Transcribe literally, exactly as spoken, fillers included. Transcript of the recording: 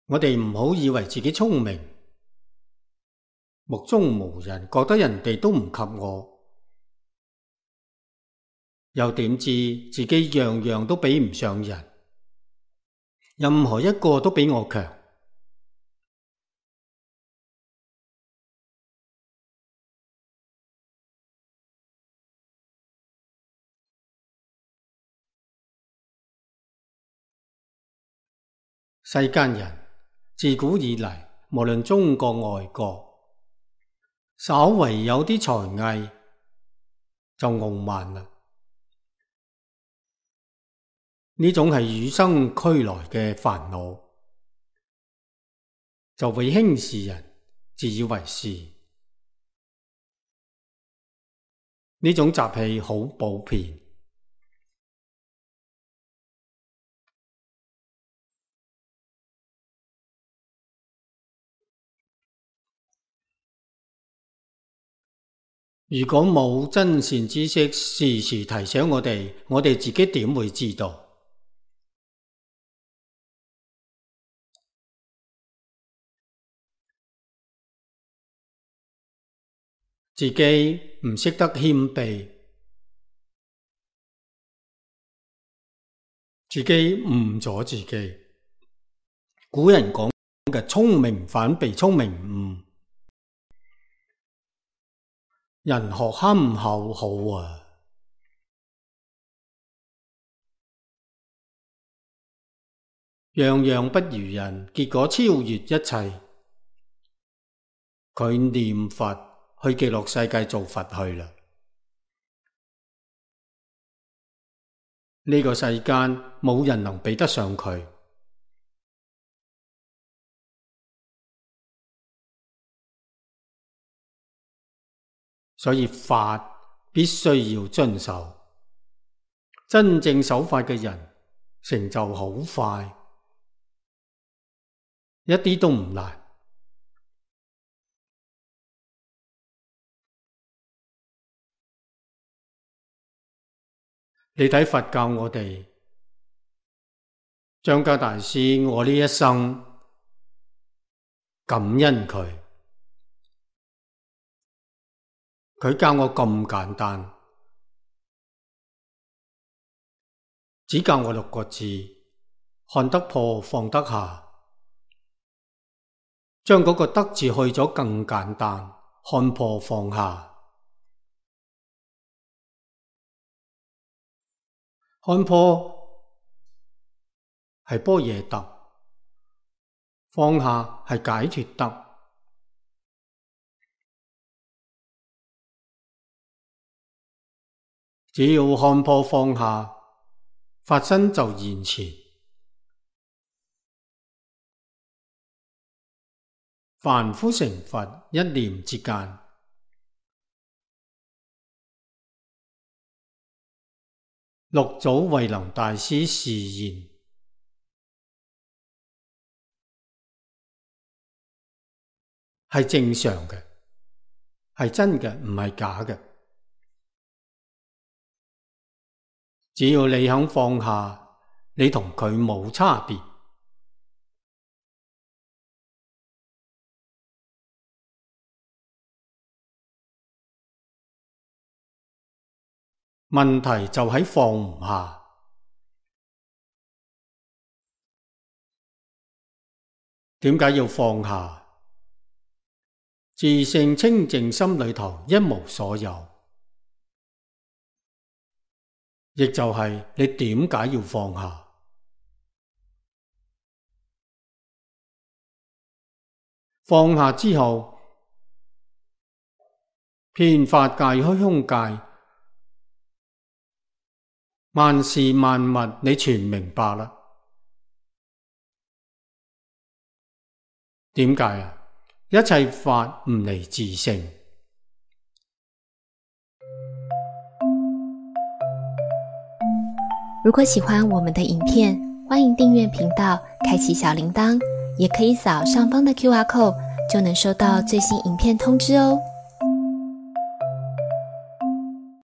我哋唔好以為自己聰明，目中無人，覺得人哋都唔及我，又點知自己樣樣都比唔上人，任何一個都比我強。世間人自古以嚟，無論中國外國，稍為有啲才藝就傲慢啦。呢種係與生俱來嘅煩惱，就會輕視人，自以為是。呢種習氣好普遍。如果冇真善知識時時提醒我哋，我哋自己點會知道？自己唔識得謙卑，自己誤咗自己。古人講嘅聰明反被聰明誤。人學憨厚好啊，樣樣不如人，結果超越一切。佢念佛去極樂世界做佛去啦。呢個世間冇人能比得上佢。所以法必須要遵守，真正守法嘅人成就好快，一啲都唔難。你睇佛教我哋，張家大師，我呢一生感恩佢。佢教我咁簡單，只教我六個字：看得破，放得下。將嗰個得字去咗更簡單，看破放下。看破係般若得，放下係解脫得。只要看破放下，法身就現前。凡夫成佛，一念之間。六祖慧能大師示現，係正常嘅，係真嘅，唔係假嘅。只要你肯放下，你同佢冇差別。問題就喺放唔下。點解要放下？自性清淨心裏頭一無所有。亦就係你點解要放下？放下之後，遍法界、虛空界，萬事萬物你全明白啦。點解啊？一切法唔離自性。如果喜歡我們的影片，歡迎訂閱頻道，開啟小鈴鐺，也可以掃上方的 Q R code，就能收到最新影片通知哦。